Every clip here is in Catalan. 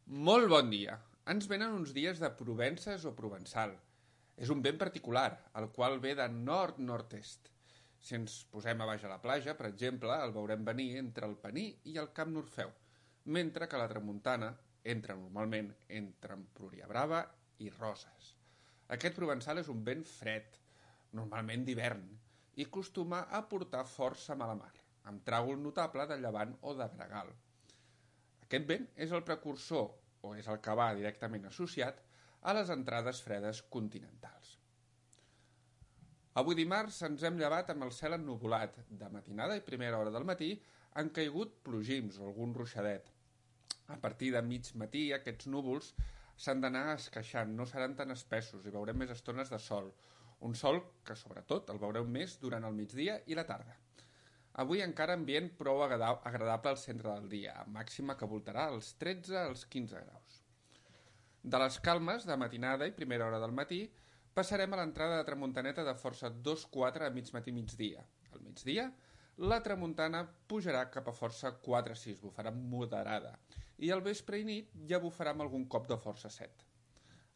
Molt bon dia. Ens venen uns dies de Provences o Provençal. És un vent particular, el qual ve de nord-nord-est. Si ens posem a baix a la platja, per exemple, el veurem venir entre el Pení i el Camp Norfeu, mentre que la tramuntana entra normalment entre Empúria Brava i Roses. Aquest provençal és un vent fred, normalment d'hivern, i acostuma a portar força mala mar, amb tràgol notable de llevant o de gregal. Aquest vent és el precursor, o és el que va directament associat, a les entrades fredes continentals. Avui dimarts ens hem llevat amb el cel ennuvolat. De matinada i primera hora del matí han caigut plogims o algun ruixadet. A partir de mig matí aquests núvols s'han d'anar esqueixant, no seran tan espessos i veurem més estones de sol. Un sol que sobretot el veureu més durant el migdia i la tarda. Avui encara ambient prou agradable al centre del dia, amb màxima que voltarà als 13 als 15 graus. De les calmes de matinada i primera hora del matí passarem a l'entrada de tramuntaneta de força 2-4 a mig matí migdia. Al migdia, la tramuntana pujarà cap a força 4-6, bufarà moderada, i al vespre i nit ja bufarà amb algun cop de força 7.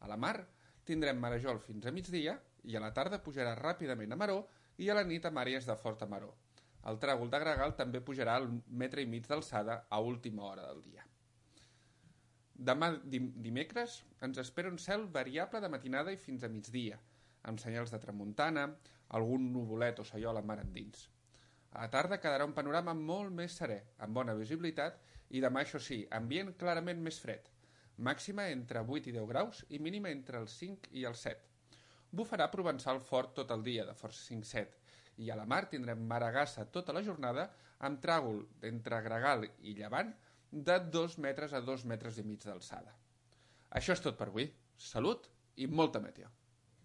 A la mar tindrem marejol fins a migdia i a la tarda pujarà ràpidament a maró i a la nit amb àrees de forta maró. El tràgol de gregal també pujarà al 1,5 metres d'alçada a última hora del dia. Demà dimecres ens espera un cel variable de matinada i fins a migdia, amb senyals de tramuntana, algun nuvolet o saiola mar endins. A la tarda quedarà un panorama molt més serè, amb bona visibilitat, i demà, això sí, ambient clarament més fred, màxima entre 8 i 10 graus i mínima entre els 5 i els 7. Bufarà provençal fort tot el dia, de força 5-7, i a la mar tindrem maragassa tota la jornada amb tràgol entre gregal i llevant de 2 metres a 2 metres i mig d'alçada. Això és tot per avui. Salut i molta meteo.